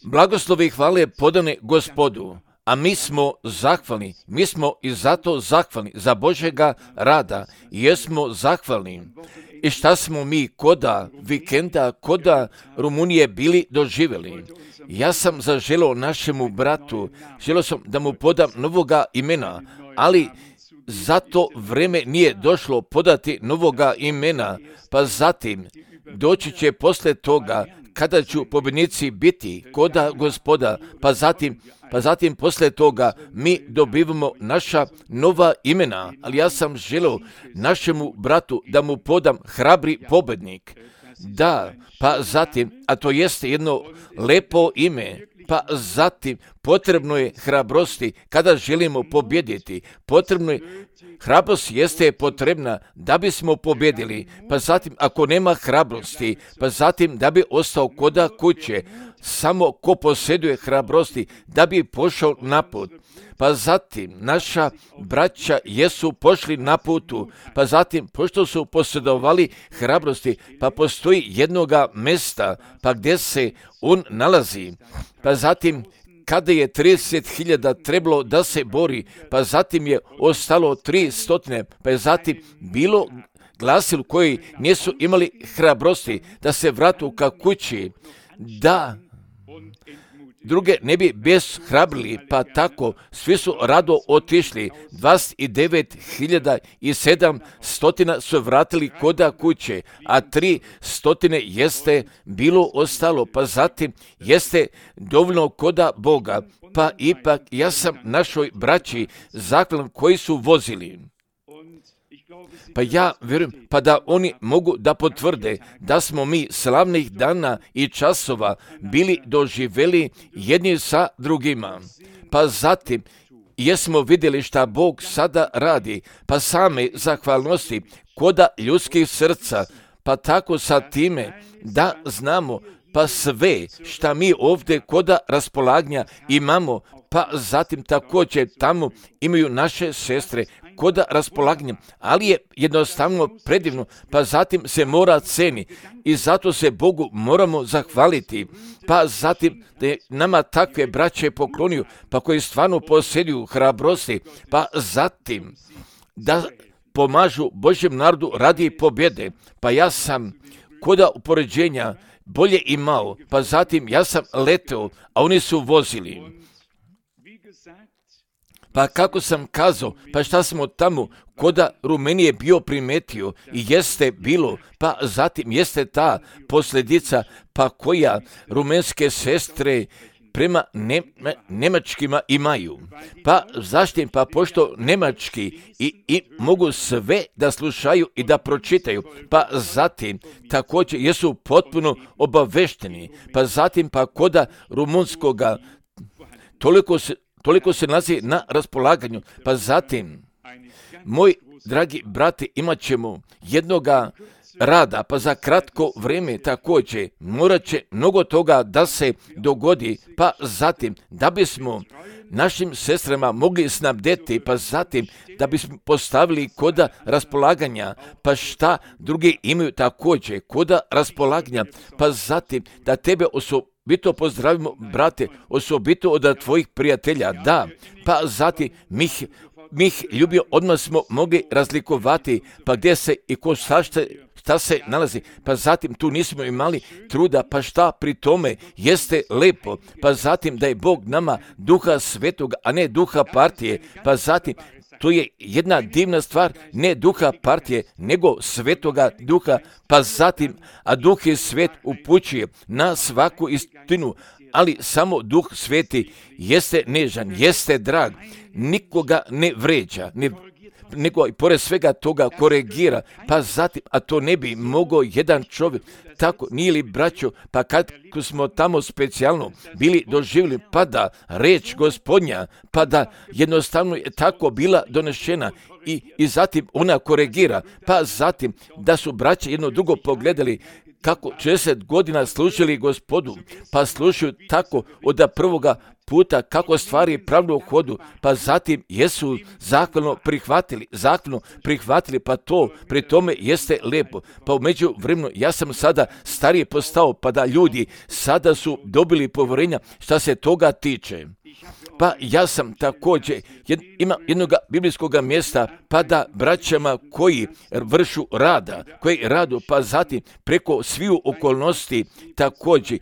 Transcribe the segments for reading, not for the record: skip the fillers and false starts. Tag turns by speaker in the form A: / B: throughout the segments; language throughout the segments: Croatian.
A: Blagoslovi i hvale podane Gospodu, a mi smo zahvalni, mi smo i zato zahvalni za Božjega rada, jesmo zahvalni. I šta smo mi koda vikenda, koda Rumunije bili doživjeli? Ja sam zaželio našemu bratu, želio sam da mu podam novoga imena, ali zato vreme nije došlo podati novoga imena, pa zatim doći će posle toga kada ću pobjednici biti koda Gospoda, pa zatim posle toga mi dobivamo naša nova imena, ali ja sam želio našemu bratu da mu podam hrabri pobjednik. Da, pa zatim, a to jeste jedno lepo ime, pa zatim potrebno je hrabrosti kada želimo pobjediti. Hrabrost jeste potrebna da bismo pobjedili, pa zatim ako nema hrabrosti, pa zatim da bi ostao koda kuće, samo ko posjeduje hrabrosti da bi pošao na put. Pa zatim naša braća jesu pošli na putu, pa zatim pošto su posjedovali hrabrosti, pa postoji jednoga mjesta, pa gdje se on nalazi, pa zatim kada je 30.000 trebalo da se bori, pa zatim je ostalo 300, pa je zatim bilo glasilo koji nisu imali hrabrosti da se vratu ka kući, da druge ne bi bezhrabrili, pa tako svi su rado otišli. 29.700 su vratili koda kuće, a 300 jeste bilo ostalo, pa zatim jeste dovoljno koda Boga, pa ipak ja sam našoj braći zaklan koji su vozili. Pa ja vjerujem, pa da oni mogu da potvrde da smo mi slavnih dana i časova bili doživjeli jedni sa drugima. Pa zatim jesmo vidjeli šta Bog sada radi, pa same zahvalnosti koda ljudskih srca, pa tako sa time da znamo pa sve šta mi ovdje koda raspolaganja imamo, pa zatim također tamo imaju naše sestre koda raspolaganja, ali je jednostavno predivno, pa zatim se mora ceni i zato se Bogu moramo zahvaliti, pa zatim da je nama takve braće poklonio, pa koji stvarno posjeduju hrabrosti, pa zatim da pomažu Božjem narodu radi pobjede, pa ja sam koda upoređenja bolje imao, pa zatim ja sam leteo, a oni su vozili. Pa kako sam kazao, pa šta smo tamo koda Rumenije bio primetio i jeste bilo, pa zatim jeste ta posljedica, pa koja rumenske sestre prema Nemačkima imaju. Pa zašto? Pa pošto Nemački i mogu sve da slušaju i da pročitaju, pa zatim također jesu potpuno obavešteni, pa zatim pa koda rumunskoga toliko se nalazi na raspolaganju, pa zatim, moj dragi brate, imat ćemo jednoga rada, pa za kratko vrijeme također morat će mnogo toga da se dogodi, pa zatim da bismo našim sestrama mogli snabdeti, pa zatim da bismo postavili koda raspolaganja, pa šta drugi imaju također koda raspolaganja, pa zatim da tebe osobito pozdravimo, brate, osobito od tvojih prijatelja, da, pa zatim mi ljubio odmah smo mogli razlikovati, pa gdje se i ko šta se nalazi, pa zatim tu nismo imali truda, pa šta pri tome jeste lepo, pa zatim da je Bog nama duha svetoga, a ne duha partije, pa zatim to je jedna divna stvar, ne duha partije, nego svetoga duha, pa zatim, a duh je svet upućuje na svaku istinu, ali samo duh sveti jeste nežan, jeste drag, nikoga ne vređa, nego i pored svega toga koregira, pa zatim, a to ne bi mogao jedan čovjek, tako nije li braćo, pa kad smo tamo specijalno bili doživjeli, pa da reč Gospodnja, pa da jednostavno je tako bila donešena i zatim ona koregira, pa zatim da su braće jedno drugo pogledali, kako 40 godina služili Gospodu, pa slušaju tako od prvoga puta kako stvari pravno u hodu, pa zatim jesu zahvalno prihvatili, pa to pri tome jeste lijepo. Pa u međuvremenu ja sam sada stariji postao, pa da ljudi sada su dobili povjerenja šta se toga tiče. Pa ja sam također ima jednog biblijskog mjesta, pa da braćama koji vršu koji radu, pa zatim preko sviju okolnosti također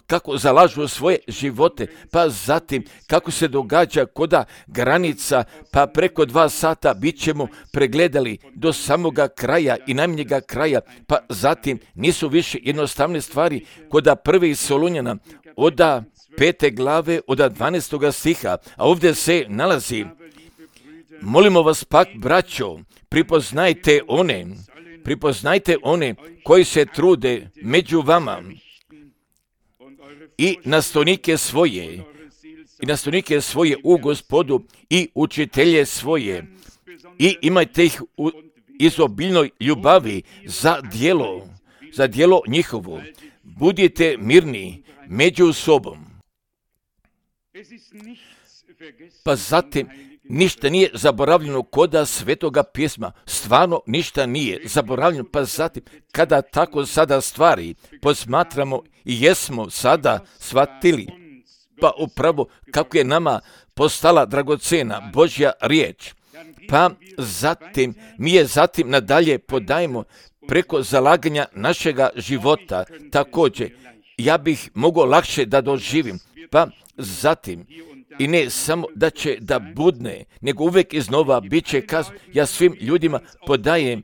A: kako zalažu svoje živote, pa zatim kako se događa koda granica, pa preko 2 sata bit ćemo pregledali do samoga kraja i najmanjega kraja, pa zatim nisu više jednostavne stvari koda 1. Solunjana od 5. glave od 12. stiha, a ovdje se nalazi: molimo vas pak, braćo, pripoznajte one koji se trude među vama i nastavnike svoje u Gospodu i učitelje svoje, i imajte ih u izobiljnoj ljubavi za djelo njihovo. Budite mirni među sobom. Pa zatim ništa nije zaboravljeno koda Svetoga pisma, stvarno ništa nije zaboravljeno, pa zatim kada tako sada stvari posmatramo i jesmo sada shvatili, pa upravo kako je nama postala dragocena Božja riječ, pa zatim mi je nadalje podajemo preko zalaganja našega života. Također ja bih mogao lakše da doživim, pa zatim i ne samo da će da budne, nego uvijek iznova bit će kazano. Ja svim ljudima podajem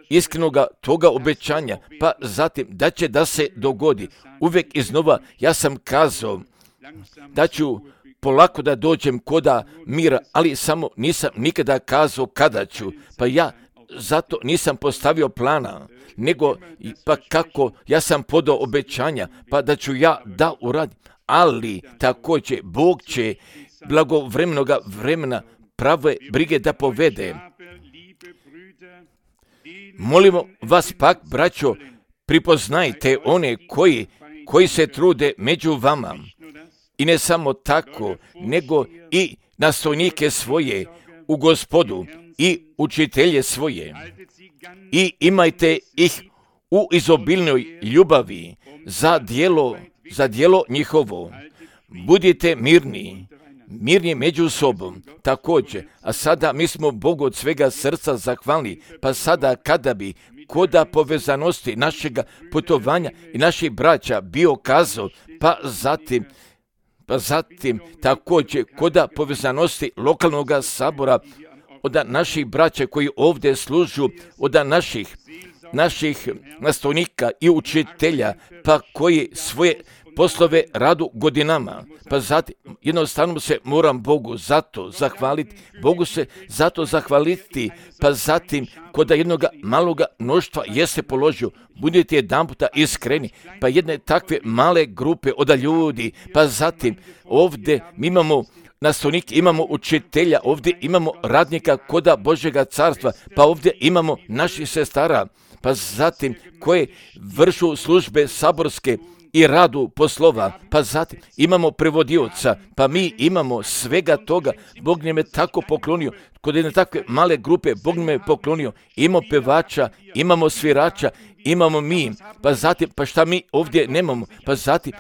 A: iskrenoga toga obećanja, pa zatim da će da se dogodi. Uvijek iznova ja sam kazao da ću polako da dođem koda mira, ali samo nisam nikada kazao kada ću, pa ja zato nisam postavio plana, nego pa kako ja sam podao obećanja, pa da ću ja da uradim. Ali također Bog će blagovremenoga vremena prave brige da povede. Molimo vas pak, braćo, pripoznajte one koji se trude među vama. I ne samo tako, nego i nastavnike svoje u Gospodu i učitelje svoje. I imajte ih u izobilnoj ljubavi za djelo njihovo. Budite mirni među sobom. Također, a sada mi smo Bogu od svega srca zahvalni, pa sada kada bi koda povezanosti našega putovanja i naših braća bio kazao, pa zatim također koda povezanosti lokalnog sabora, od naših braća koji ovdje služu, od naših nastavnika i učitelja, pa koji svoje poslove radu godinama, pa zatim jednostavno se moram Bogu zato zahvaliti, pa zatim kod jednog maloga mnoštva jeste položio, budete jedanputa iskreni, pa jedne takve male grupe od ljudi, pa zatim ovdje mi imamo nastavnike, imamo učitelja, ovdje imamo radnika koda Božjega carstva, pa ovdje imamo naših sestara, pa zatim koje vršu službe saborske i radu poslova, pa zatim imamo prevodioca, pa mi imamo svega toga. Bog nam je tako poklonio, kod jedne takve male grupe Bog nam je poklonio, imamo pevača, imamo svirača, imamo mi, pa zatim, pa šta mi ovdje nemamo, pa zatim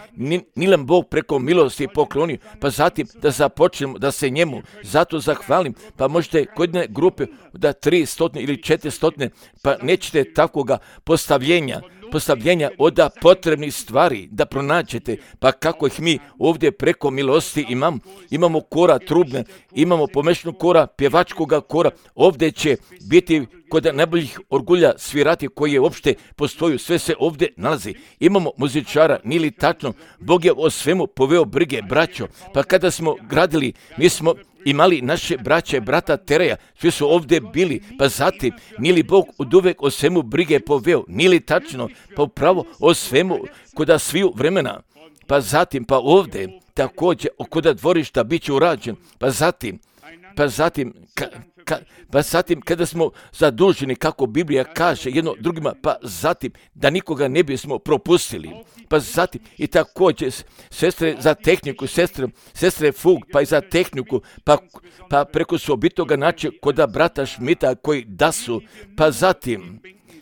A: ni nam Bog preko milosti poklonio, pa zatim da započnemo da se njemu zato zahvalim, pa možete kod jedne grupe da 300 ili 400, pa nećete takvoga postavljenja od potrebnih stvari da pronađete, pa kako ih mi ovdje preko milosti imamo kora trubne, imamo pomešanu kora, pjevačkoga kora, ovdje će biti kod najboljih orgulja svirati koji je uopšte postoju, sve se ovdje nalazi. Imamo muzičara, nili tačno, Bog je o svemu poveo brige, braćo, pa kada smo gradili, mi smo imali naše braće, brata Tereja, svi su ovdje bili, pa zatim, nili Bog oduvek o svemu brige poveo, nili tačno, pa upravo o svemu koda sviju vremena, pa zatim, pa ovdje, također, koda dvorišta bit će urađen, pa zatim, pa zatim, pa zatim kada smo zaduženi, kako Biblija kaže, jedno drugima, pa zatim da nikoga ne bismo propustili, pa zatim i također sestre za tehniku, sestre Fug, pa i za tehniku, pa preko sobitoga načina koda brata Šmita koji da su, pa zatim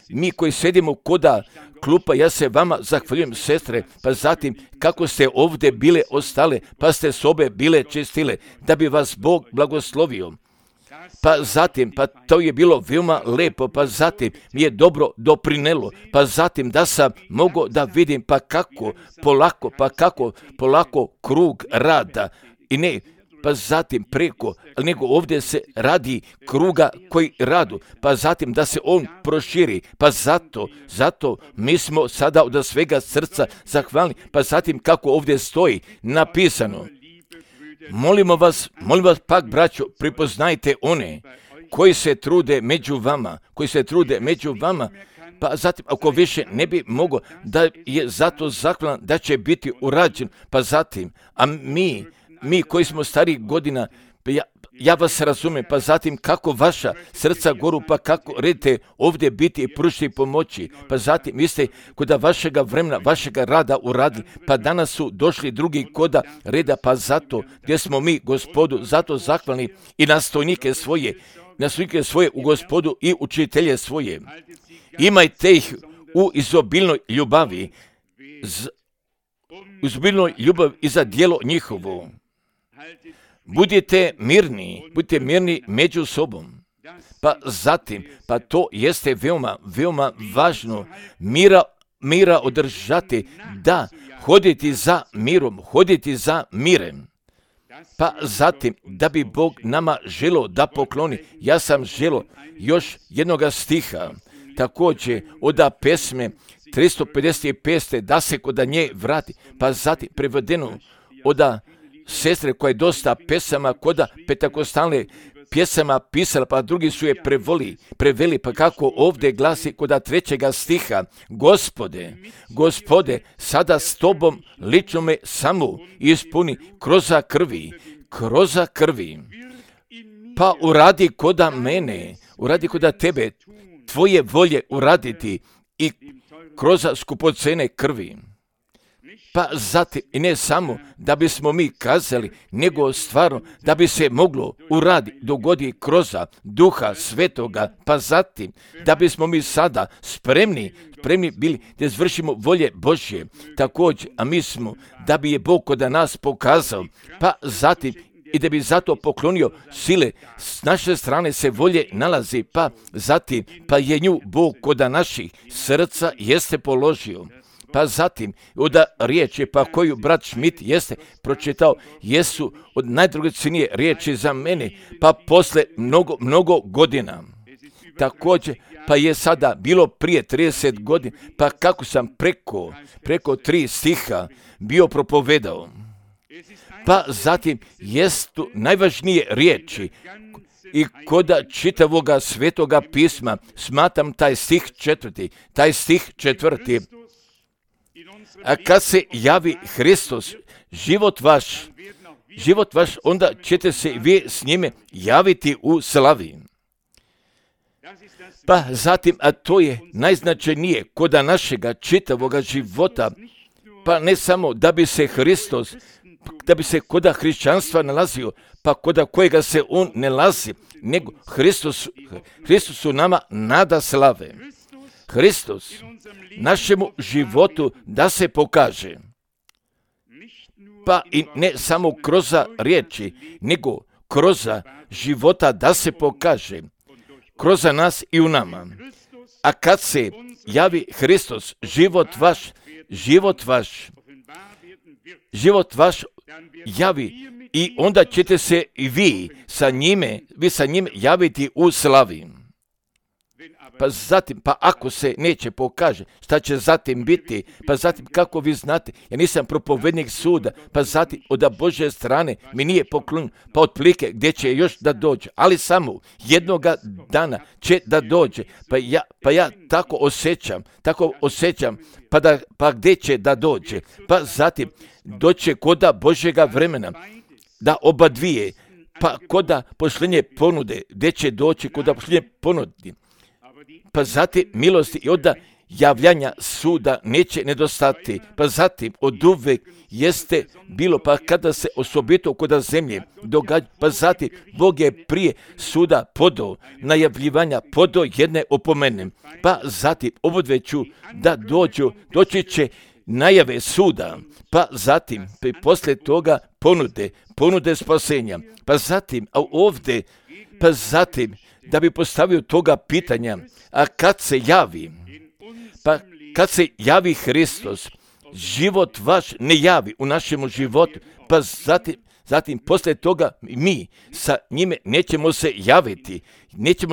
A: mi koji sedimo koda klupa, ja se vama zahvaljujem, sestre, pa zatim kako ste ovdje bile ostale, pa ste sobe bile čistile, da bi vas Bog blagoslovio. Pa zatim, pa to je bilo veoma lepo, pa zatim mi je dobro doprinelo, pa zatim da sam mogao da vidim pa kako polako krug rada i ne, pa zatim preko, nego ovdje se radi kruga koji radu, pa zatim da se on proširi, pa zato mi smo sada od svega srca zahvalni, pa zatim kako ovdje stoji napisano. Molimo vas pak, braćo, pripoznajte one koji se trude među vama, pa zatim ako više ne bi mogao da je zato zahvalan da će biti urađen, pa zatim, a mi koji smo starih godina, ja vas razumijem, pa zatim kako vaša srca goru, pa kako redite ovdje biti i pružiti pomoći, pa zatim vi ste koda vašega vremena, vašega rada uradili, pa danas su došli drugi koda reda, pa zato gdje smo mi Gospodu zato zahvalni i nastojnike svoje u Gospodu i učitelje svoje. Imajte ih u izobilnoj ljubavi, i za djelo njihovo. Budite mirni među sobom. Pa zatim, pa to jeste veoma važno, mira održati, da hoditi za mirem. Pa zatim, da bi Bog nama želo da pokloni, ja sam želo još jednoga stiha, također od pesme 355. da se kod nje vrati, pa zatim prevedeno od sestre koja je dosta pesama koda petakostalne pjesama pisala, pa drugi su je preveli, pa kako ovdje glasi koda 3. stiha, Gospode, sada s tobom lično me samo ispuni kroza krvi, pa uradi koda mene, uradi koda tebe, tvoje volje uraditi i kroz skupocene krvi. Pa zatim, i ne samo da bismo mi kazali, nego stvarno da bi se moglo dogodi kroz Duha Svetoga, pa zatim da bismo mi sada spremni bili da izvršimo volje Božje. Također, a mi smo, da bi je Bog kod nas pokazao, pa zatim i da bi zato poklonio sile, s naše strane se volje nalazi, pa zatim, pa je nju Bog kod naših srca jeste položio. Pa zatim, od riječi pa koju brat Schmidt jeste pročitao, jesu od najdragocjenije riječi za mene, pa posle mnogo godina. Također, pa je sada bilo prije 30 godina, pa kako sam preko 3 stiha bio propovedao. Pa zatim, jesu najvažnije riječi i koda čitavoga svetoga pisma, smatram taj stih 4. A kad se javi Hristos, život vaš, onda ćete se vi s njime javiti u slavi. Pa zatim, a to je najznačajnije koda našega čitavoga života, pa ne samo da bi se Hristos, da bi se koda hrišćanstva nalazio, pa koda kojega se on ne nalazi, nego Hristos u nama nada slave. Hristos našemu životu da se pokaže, pa i ne samo kroz riječi, nego kroz života da se pokaže, kroz nas i u nama. A kad se javi Hristos, život vaš javi i onda ćete se i vi sa njime javiti u slavi. Pa zatim, pa ako se neće pokaže, šta će zatim biti? Pa zatim, kako vi znate, ja nisam propovednik suda, pa zatim od Božje strane mi nije poklon, pa otprilike gdje će još da dođe, ali samo jednoga dana će da dođe, pa ja tako osjećam, pa gdje će da dođe? Pa zatim, doće koda Božjega vremena, da oba dvije, pa koda pošljenje ponude, gdje će doći koda pošljenje ponudi, pa zatim milosti i onda javljanja suda neće nedostati, pa zatim od uvek jeste bilo, pa kada se osobito koda zemlje događa, pa zatim Bog je prije suda podao najavljivanja, podao jedne opomene, pa zatim obodveću da doći će najave suda, pa zatim poslije toga ponude spasenja, pa zatim, a ovdje, pa zatim da bi postavio toga pitanja, a kad se javi, pa kad se javi Hristos, život vaš ne javi u našemu životu, pa zatim poslije toga mi sa njime nećemo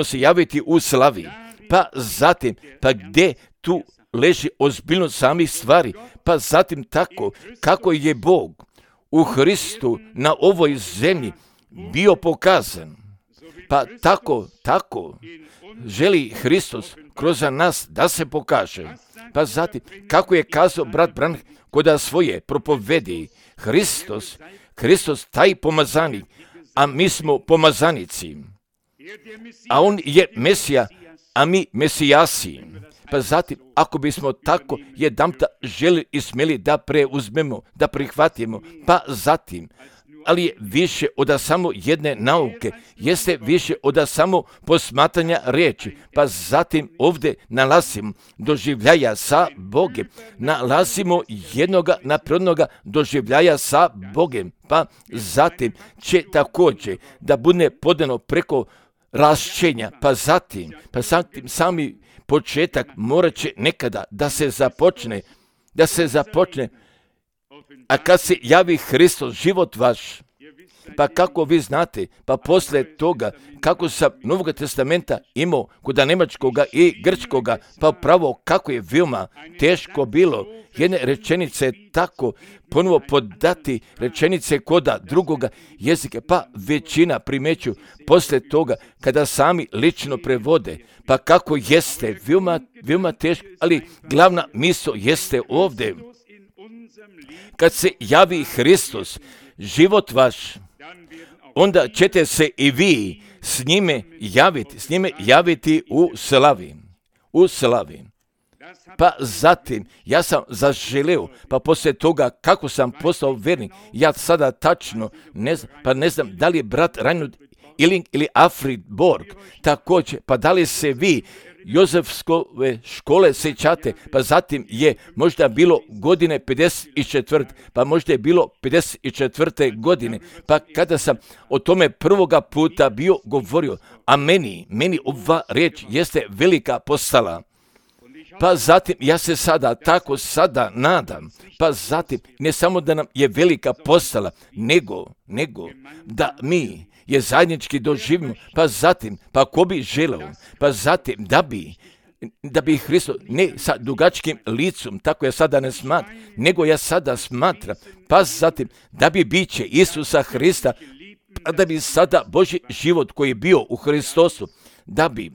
A: se javiti u slavi, pa zatim, pa gdje tu leži ozbiljnost samih stvari, pa zatim tako kako je Bog u Hristu na ovoj zemlji bio pokazan, pa tako želi Hristos kroz nas da se pokaže. Pa zatim, kako je kazao brat Branham koda svoje propovedi, Hristos taj pomazanik, a mi smo pomazanici, a on je Mesija, a mi Mesijasi. Pa zatim, ako bismo tako jedanputa želi i smjeli da preuzmemo, da prihvatimo, pa zatim, ali je više od samo jedne nauke, jeste više od samo posmatranja riječi, pa zatim ovdje nalazimo doživljaja sa Bogem, nalazimo jednoga naprednoga doživljaja sa Bogem, pa zatim će također da bude podano preko rašćenja, pa zatim sami početak morat će nekada da se započne, a kad se javi Hristos, život vaš, pa kako vi znate, pa poslije toga, kako sam Novog testamenta imao kod nemačkoga i grčkoga, pa pravo kako je veoma teško bilo jedne rečenice tako ponovo podati rečenice koda drugoga jezika, pa većina primeću poslije toga kada sami lično prevode, pa kako jeste veoma teško, ali glavna misao jeste ovdje. Kad se javi Hristos, život vaš, onda ćete se i vi s njime javiti u slavi. Pa zatim, ja sam zaželeo, pa poslije toga kako sam postao vernik, ja sada tačno ne znam da li je brat Reinhard Illing ili Alfred Borg, također, pa da li se vi Jozefskove škole sećate, pa zatim je možda bilo godine 54, pa možda je bilo 54. godine, pa kada sam o tome prvoga puta bio govorio, a meni ova riječ jeste velika postala. Pa zatim ja se sada nadam, pa zatim ne samo da nam je velika postala, nego da mi je zajednički doživimo, pa zatim, pa ko bi želeo, pa zatim da bi Hristos ne sa dugačkim licom, tako ja sada ne smatram, nego ja sada smatram, pa zatim da bi biće Isusa Hrista, pa da bi sada Božji život koji je bio u Hristosu, da bi,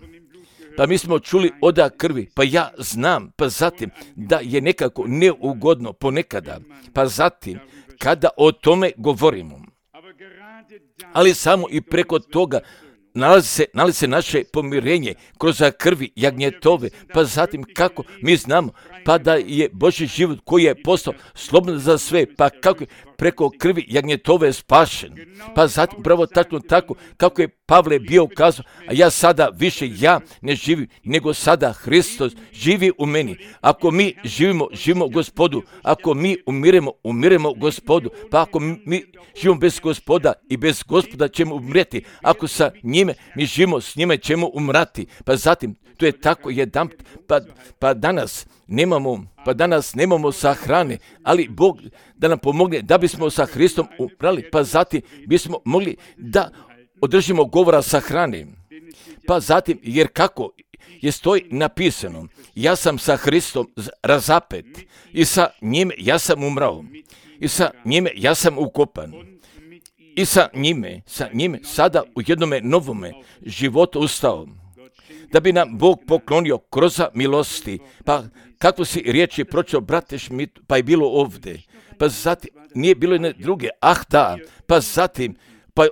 A: pa mi smo čuli oda krvi, pa ja znam, pa zatim da je nekako neugodno ponekada, pa zatim kada o tome govorimo, ali samo i preko toga nalazi se naše pomirenje kroz krvi jagnjetove, pa zatim kako mi znamo, pa da je Božji život koji je postao slobodan za sve, pa kako je preko krvi jagnjetove spašen, pa zatim pravo tačno tako kako je Pavle bio kazao, a ja sada više ja ne živim, nego sada Hristos živi u meni. Ako mi živimo Gospodu, ako mi umiremo Gospodu, pa ako mi živimo bez Gospoda i bez Gospoda ćemo umreti, ako sa njime mi živimo, s njime ćemo umrati, pa zatim to je tako jedan, pa danas nemamo sahrane, ali Bog da nam pomogne da bismo sa Hristom umrali, pa zatim bismo mogli da održimo govora sahrane. Pa zatim, jer kako je stoji napisano, ja sam sa Hristom razapet i sa njime ja sam umrao i sa njime ja sam ukopan i sa njime sada u jednome novome životu ustao. Da bi nam Bog poklonio kroz milosti, pa kako si riječi pročeo, brate Šmit, pa je bilo ovdje, pa zatim nije bilo jedne druge, pa zatim pa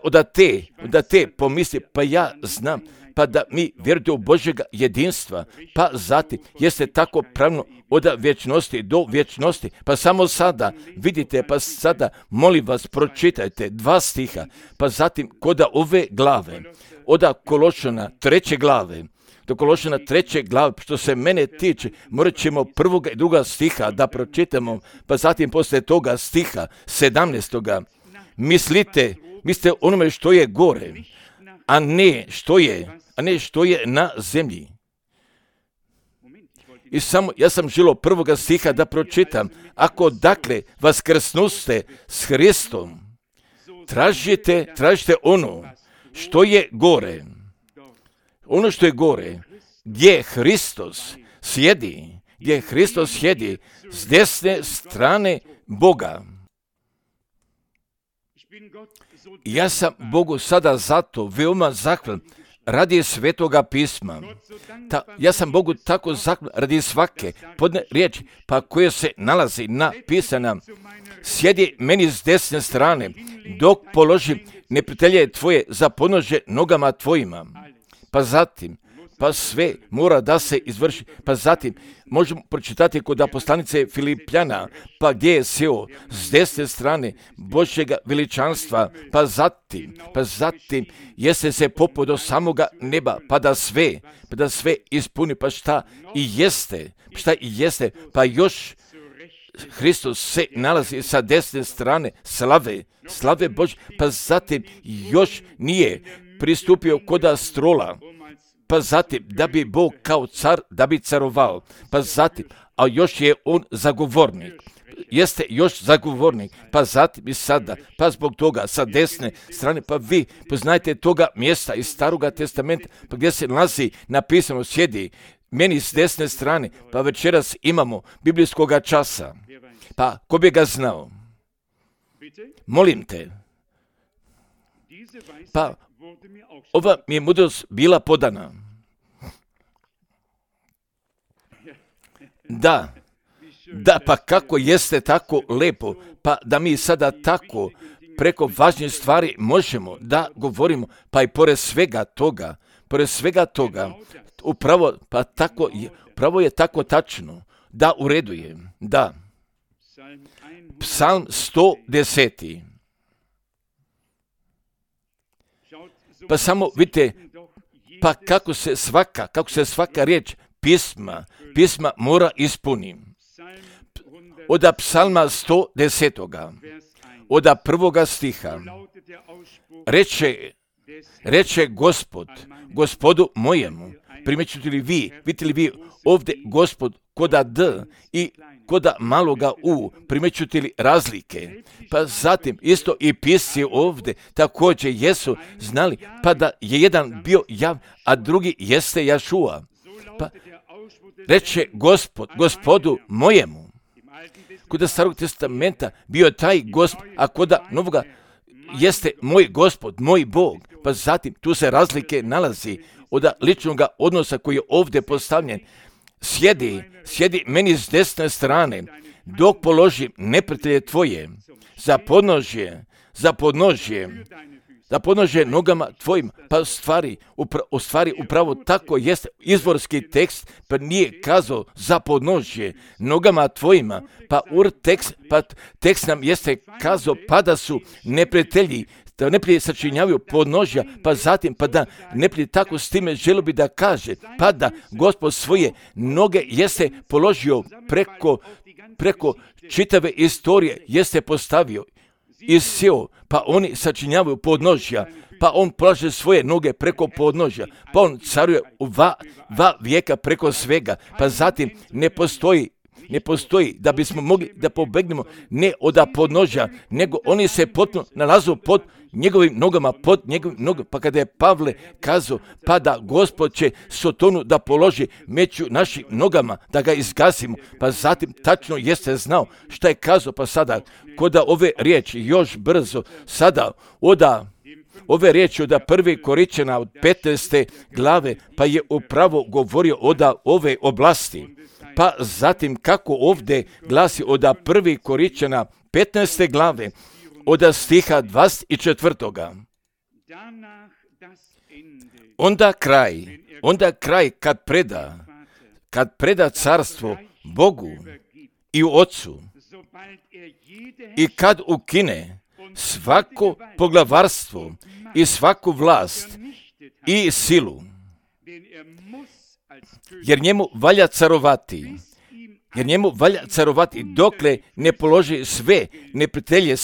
A: da te pomisli, pa ja znam, pa da mi vjerujete u Božjega jedinstva, pa zatim jeste tako pravno od vječnosti do vječnosti, pa samo sada, vidite, pa sada, molim vas, pročitajte 2 stiha, pa zatim kod ove glave, od Kološana 3. glave, do Kološana 3. glave, što se mene tiče, morat ćemo 1. i 2. stiha da pročitamo, pa zatim poslije toga stiha 17. Mislite onome što je gore, a ne što je na zemlji. I samo, ja sam želio 1. stiha da pročitam. Ako dakle vaskrsnuste s Hristom, tražite ono što je gore. Ono što je gore, gdje Hristos sjedi s desne strane Boga. Ja sam Bogu sada zato veoma zahvalan radi Svetoga pisma. Ja sam Bogu tako zahvalan radi svake podne riječi, pa koje se nalazi napisana. Sjedi meni s desne strane, dok položim neprijatelje tvoje za podnožje nogama tvojima. Pa zatim, pa sve mora da se izvrši. Pa zatim možemo pročitati kod poslanice Filipljana, pa gdje je sjeo s desne strane Božjega veličanstva, pa zatim jeste se popeo do samoga neba, pa da sve ispuni, pa šta i jeste, pa još Hristos se nalazi sa desne strane slave Božje, pa zatim još nije pristupio koda strola, pa zatim da bi Bog kao car, da bi carovao, pa zatim, a još je on zagovornik, jeste još zagovornik, pa zatim i sada, pa zbog toga sa desne strane, pa vi poznajte toga mjesta iz Staroga testamenta, pa gdje se nalazi napisano sjedi meni s desne strane, pa večeras imamo biblijskoga časa, pa ko bi ga znao? Molim te, pa ova mi je mudrost bila podana. Da, pa kako jeste tako lepo, pa da mi sada tako preko važnih stvari možemo da govorimo, pa i pored svega toga, upravo je tako tačno, da u redu je, da. Psalm 110. Pa samo vidite, pa kako se svaka riječ pisma mora ispuniti. Od psalma 110. od 1. stiha reče Gospodu mojemu, primjećujete li vi, vidite li vi ovdje Gospod koda D i koda maloga U, primjećujete li razlike? Pa zatim isto i pisci ovdje također jesu znali, pa da je jedan bio Jav, a drugi jeste Jašua. Pa reče Gospodu mojemu. Koda Starog testamenta bio taj Gospod, a koda Novoga jeste moj Gospod, moj Bog. Pa zatim tu se razlike nalazi od ličnog odnosa koji je ovdje postavljen. Sjedi meni s desne strane, dok položim neprijatelje tvoje za podnožje nogama tvojim. Pa u stvari upravo tako jeste izvorski tekst, pa nije kazao za podnožje nogama tvojima, pa tekst nam jeste kazao pa da su neprijatelji, da neprijatelji sačinjavaju podnožja, pa zatim pa da neprijatelji tako s time želio bi da kaže, pa da Gospod svoje noge jeste položio preko čitave istorije, jeste postavio i sjeo, pa oni sačinjavaju podnožja, pa on polaže svoje noge preko podnožja, pa on caruje u dva vijeka preko svega, pa zatim ne postoji da bismo mogli da pobegnemo ne od podnožja, nego oni se potpuno nalazu pod njegovim nogama, pa kada je Pavle kazao, pa da Gospod će Sotonu da položi među našim nogama, da ga izgasimo, pa zatim tačno jeste znao šta je kazao, pa sada kod ove riječi još brzo, sada ove riječi od 1. Korinćana od 15. glave, pa je upravo govorio od ove oblasti. Pa zatim kako ovdje glasi od 1. Korinćana 15. glave, od stiha 24. Onda kraj kad preda carstvo Bogu i Otcu i kad ukine svako poglavarstvo i svaku vlast i silu, jer njemu valja carovati dokle ne položi sve neprijatelje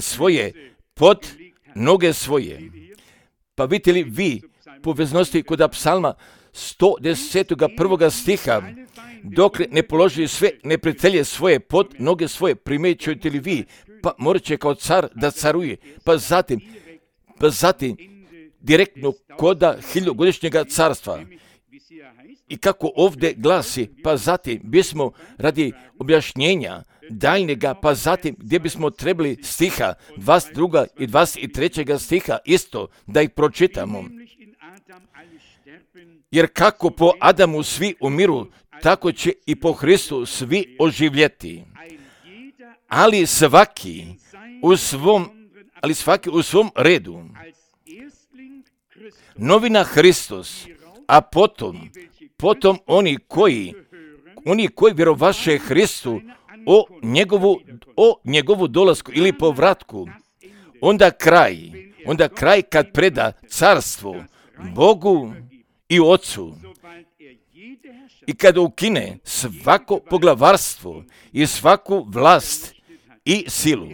A: svoje pod noge svoje. Pa vidite li vi poveznosti kod psalma 110. stiha, dokle ne položi sve neprijatelje svoje pod noge svoje, primjećujete li vi, pa morat će kao car da caruje, pa zatim direktno koda 1000-godišnjega carstva. I kako ovdje glasi, pa zatim bismo radi objašnjenja daljnjega, pa zatim gdje bismo trebali stiha 22. i 23. stiha isto da ih pročitamo. Jer kako po Adamu svi umiru, tako će i po Hristu svi oživjeti. Ali svaki u svom redu. Novina Hristos, a potom oni koji vjerovaše Hristu o njegovu dolasku ili povratku. Onda kraj kad preda carstvo Bogu i Otcu i kad ukine svako poglavarstvo i svaku vlast i silu,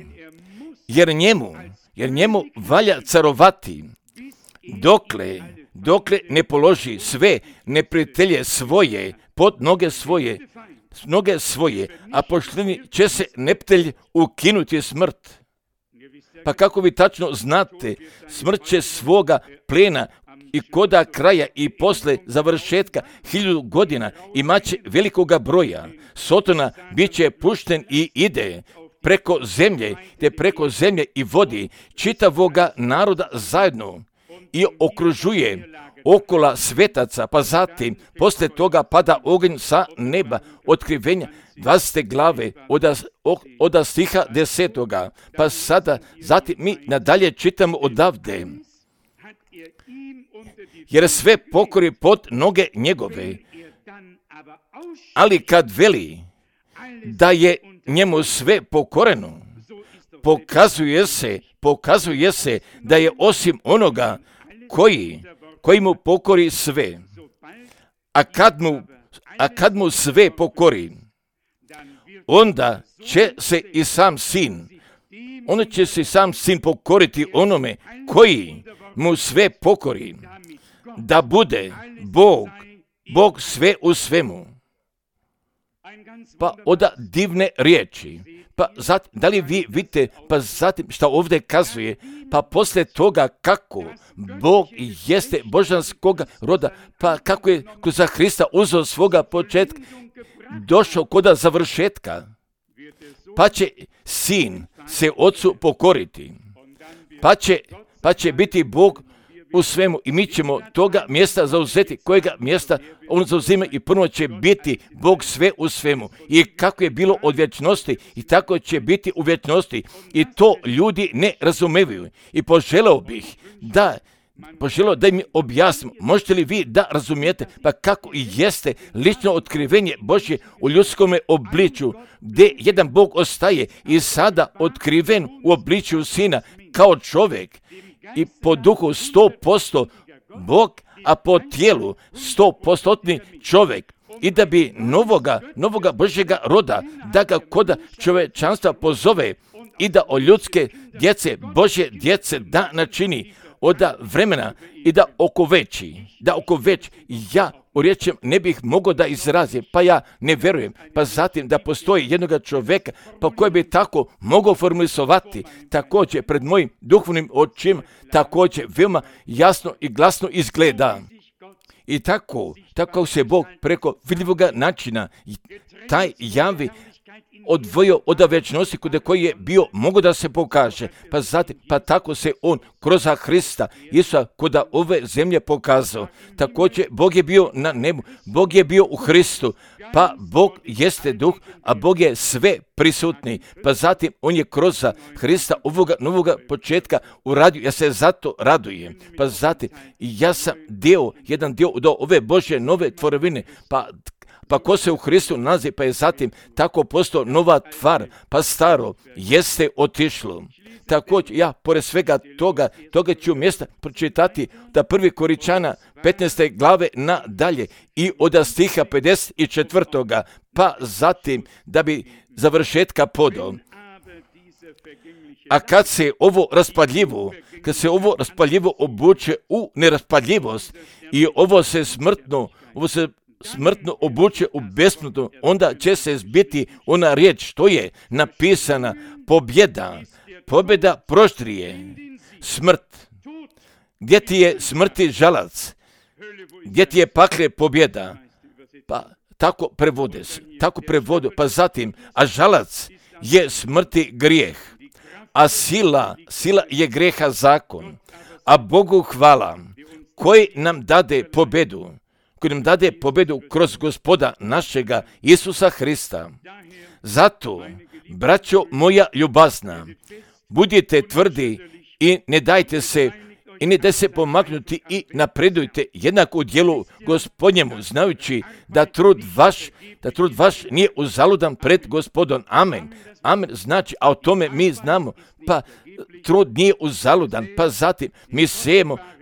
A: jer njemu valja carovati dokle ne položi sve neprijatelje svoje pod noge svoje, a pošteni će se neprijatelj ukinuti smrt. Pa kako vi tačno znate, smrt će svoga plena i koda kraja i posle završetka 1000 godina imaće velikoga broja. Sotona bit će pušten i ide preko zemlje i vodi čitavoga naroda zajedno i okružuje okola svetaca, pa zatim poslije toga pada oganj sa neba, otkrivenja 20. glave od stiha 10. Pa zatim mi nadalje čitamo odavde. Jer sve pokori pod noge njegove, ali kad veli da je njemu sve pokoreno, pokazuje se da je osim onoga koji mu pokori sve. A kad mu sve pokori, onda će se i sam sin pokoriti onome koji mu sve pokori, da bude Bog sve u svemu. Pa oda divne riječi. Pa zatim, da li vi vidite, pa zatim što ovdje kazuje, pa poslije toga kako Bog jeste božanskog roda, pa kako je kroz Hrista uzeo svoga početka, došao koda završetka, pa će sin se Otcu pokoriti, pa će biti Bog u svemu i mi ćemo toga mjesta zauzeti, kojega mjesta on zauzima i prvo će biti Bog sve u svemu. I kako je bilo od vječnosti i tako će biti u vječnosti i to ljudi ne razumevaju. I poželeo da mi objasnim, možete li vi da razumijete pa kako i jeste lično otkrivenje Božje u ljudskome obličju, gdje jedan Bog ostaje i sada otkriven u obličju Sina kao čovjek i po duhu 100% Bog, a po tijelu 100% čovjek. I da bi novoga Božjega roda, da ga koda čovječanstva pozove i da o ljudske djece, Božje djece da načini od vremena i da oko već ja u riječem ne bih mogao da izrazim, pa ja ne vjerujem, pa zatim da postoji jednoga čovjeka pa koji bi tako mogao formulisovati, također pred mojim duhovnim očima, također veoma jasno i glasno izgleda. I tako se Bog preko vidljivoga načina taj javi odvojio od večnosti kod koji je bio, mogu da se pokaže. Pa zatim, pa tako se on kroz Hrista Isusa kod ove zemlje pokazao. Također, Bog je bio na nebu, Bog je bio u Hristu, pa Bog jeste duh, a Bog je sve prisutni. Pa zatim, on je kroz Hrista ovoga novoga početka uradio, ja se zato radujem. Pa zatim, ja sam jedan dio od ove Božje nove tvorevine, pa ko se u Hristu nalazi, pa je zatim tako postao nova tvar, pa staro jeste otišlo. Također, ja, pored svega toga ću mjesta pročitati da 1. Koričana 15. glave nadalje i od stiha 54. pa zatim da bi završetka podao. A kad se ovo raspadljivo obuče u neraspadljivost i ovo se smrtno obuče u besmrtno, onda će se zbiti ona riječ što je napisana: pobjeda proštrije smrt. Gdje ti je smrti žalac? Gdje ti je pakle pobjeda? Pa tako prevode, pa zatim, a žalac je smrti grijeh, a sila je greha zakon, a Bogu hvala koji nam dade pobjedu kroz Gospoda našega Isusa Hrista. Zato, braćo moja ljubazna, budite tvrdi i ne dajte se pomaknuti i napredujte jednako u djelu Gospodnjemu, znajući da trud vaš nije uzaludan pred Gospodom. Amen. Amen znači, a o tome mi znamo, pa trud nije uzaludan, pa zatim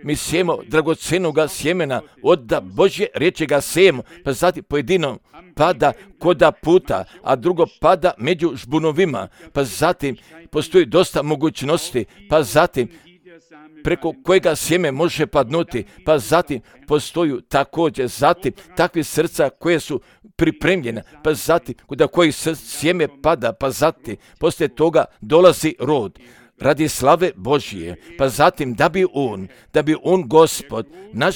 A: mi sejemo dragocenoga sjemena, od Božje riječi ga sejemo, pa zatim pojedino pada koda puta, a drugo pada među žbunovima, pa zatim postoji dosta mogućnosti, pa zatim preko kojega sjeme može padnuti, pa zatim postoju također zatim takvi srca koje su pripremljena, pa zatim kod kojih sjeme pada, pa zatim poslije toga dolazi rod radi slave Božije, pa zatim da bi on Gospod naš,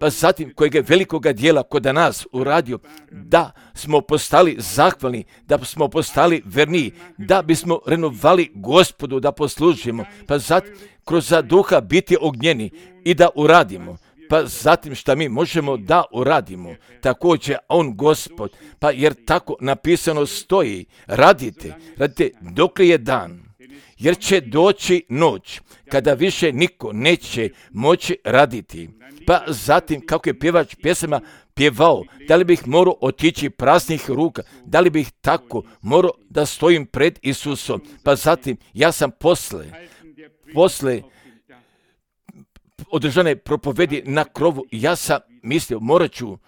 A: pa zatim kojeg je velikoga dijela kod nas uradio, da smo postali zahvalni, da smo postali verniji, da bismo renovali Gospodu da poslužimo, pa zatim kroz duha biti ognjeni i da uradimo, pa zatim šta mi možemo da uradimo, također on Gospod, pa jer tako napisano stoji, radite dok je dan, jer će doći noć kada više niko neće moći raditi. Pa zatim kako je pjevač pjesama pjevao, da li bih morao otići praznih ruka, da li bih tako morao da stojim pred Isusom, pa zatim ja sam posle održane propovedi na krovu, ja sam mislio, morat ću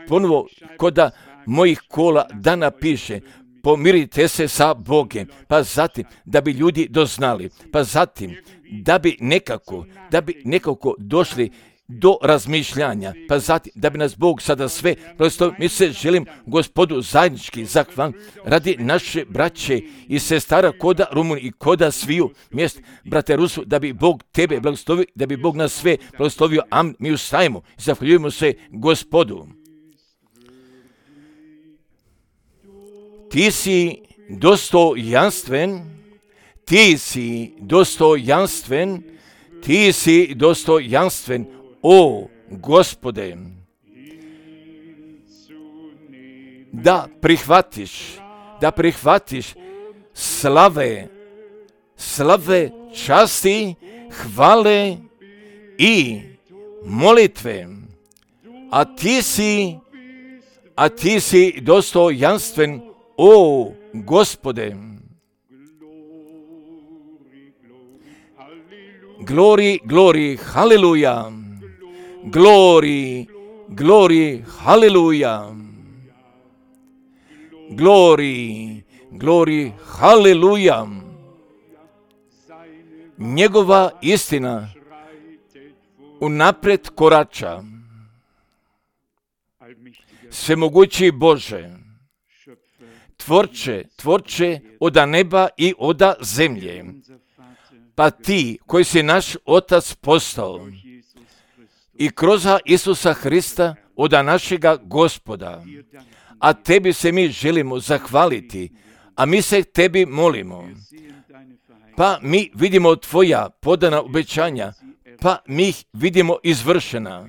A: ponovo koda mojih kola da napiše: pomirite se sa Bogom, pa zatim da bi ljudi doznali, pa zatim da bi nekako došli do razmišljanja, pa zatim da bi nas Bog sada sve prosto. Mi se želim Gospodu zajednički zahvaliti radi naše braće i sestara koda Rumuniji i koda sviju mjest, brate Rusu, da bi Bog tebe blagoslovio, da bi Bog nas sve blagoslovio. Amen. Mi ustajemo i zahvaljujemo se Gospodu. Ti si dostojanstven, o Gospode, da prihvatiš slave, časti, hvale i molitve, a ti si dostojanstven, o Gospode. Glory, haleluja. Glory, haleluja. Glory, haleluja. Njegova istina unaprijed korača. Svemogući Bože, tvorče oda neba i oda zemlje, pa ti koji si naš Otac postao i kroz Isusa Hrista oda našega Gospoda, a tebi se mi želimo zahvaliti a mi se tebi molimo. Pa mi vidimo tvoja podana obećanja, pa mi ih vidimo izvršena,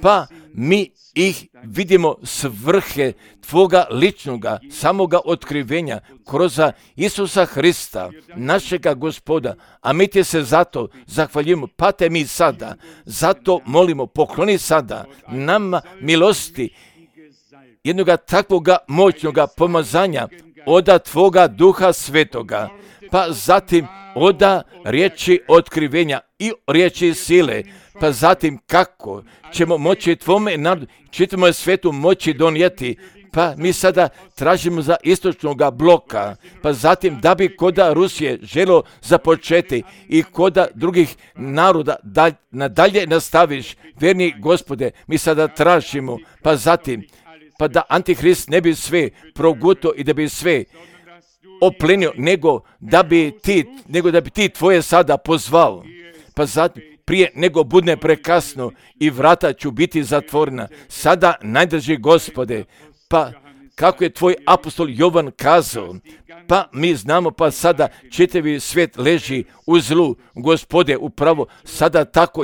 A: pa mi ih vidimo svrhe tvoga ličnoga, samoga otkrivenja kroz Isusa Hrista, našega Gospoda, a mi ti se zato zahvaljujemo, pa te mi sada, zato molimo, pokloni sada nama milosti, jednoga takvoga moćnoga pomazanja oda tvoga Duha Svetoga, pa zatim oda riječi otkrivenja i riječi sile, pa zatim kako ćemo moći tvome narodu, čitamo svetu moći donijeti, pa mi sada tražimo za istočnoga bloka, pa zatim da bi koda Rusije želo započeti i koda drugih naroda nadalje nastaviš, verni Gospode, mi sada tražimo, pa zatim, pa da Antihrist ne bi sve proguto i da bi sve oplenio, nego da bi ti tvoje sada pozvao, pa zatim prije nego budne prekasno i vrata ću biti zatvorena. Sada najdrži Gospode, pa kako je tvoj apostol Jovan kazao, pa mi znamo, pa sada čitavi svijet leži u zlu, Gospode, upravo sada tako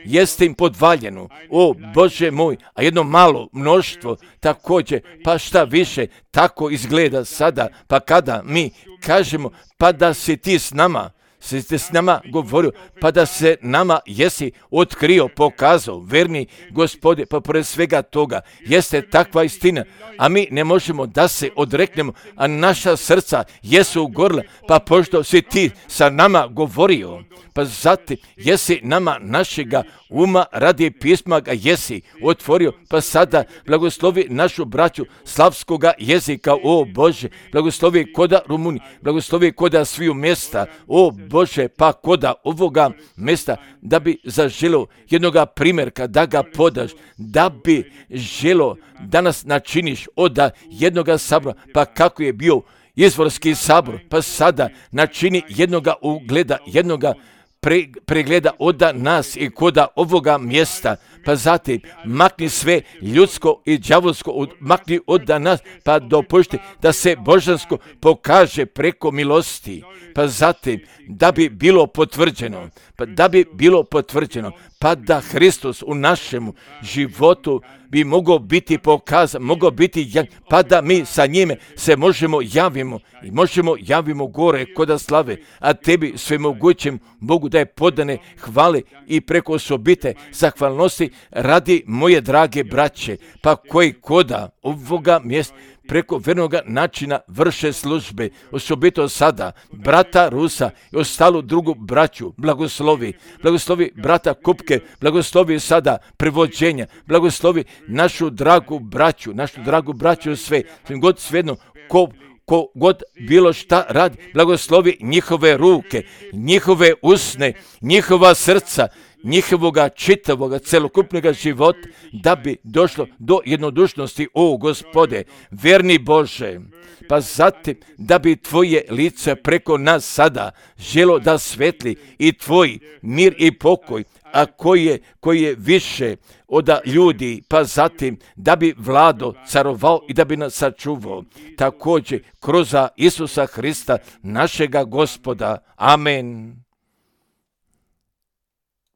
A: jeste im podvaljeno, o Bože moj, a jedno malo mnoštvo također, pa šta više, tako izgleda sada, pa kada mi kažemo, pa da si ti s nama, s nama govorio, pa da se nama jesi otkrio, pokazao, verni Gospode, pa pored svega toga jeste takva istina, a mi ne možemo da se odreknemo, a naša srca jesu ugorila, pa pošto si ti sa nama govorio, pa zatim jesi nama našega uma radi pisma ga jesi otvorio, pa sada blagoslovi našu braću slavskoga jezika, o Bože, blagoslovi koda Rumuni, blagoslovi koda sviju mjesta, o Bože, pa koda ovoga mjesta, da bi zaželo jednoga primjerka, da ga podaš, da bi želo da nas načiniš od jednoga sabora, pa kako je bio izvorski sabor, pa sada načini jednoga ugleda, jednoga pregleda od nas i koda ovoga mjesta, pa zatim makni sve ljudsko i đavolsko, makni od nas, pa dopušti da se božansko pokaže preko milosti, pa zatim da bi bilo potvrđeno, pa da Hristos u našemu životu bi mogao biti pokazan, mogao biti, pa da mi sa njime se možemo javimo gore koda slave, a tebi svemogućem Bogu da je podane hvale i preko osobite zahvalnosti radi moje drage braće, pa koji koda ovoga mjesta preko vernoga načina vrše službe, osobito sada brata Rusa i ostalu drugu braću, blagoslovi brata Kupke, blagoslovi sada prevođenja, blagoslovi našu dragu braću sve god svejedno, ko god bilo šta radi, blagoslovi njihove ruke, njihove usne, njihova srca, njihovoga čitavoga celokupnog života, da bi došlo do jednodušnosti, o Gospode, verni Bože, pa zatim da bi tvoje lice preko nas sada želo da svetli i tvoj mir i pokoj, a koji je više od ljudi, pa zatim da bi vlado, carovao i da bi nas sačuvao, također kroz Isusa Hrista, našega Gospoda. Amen.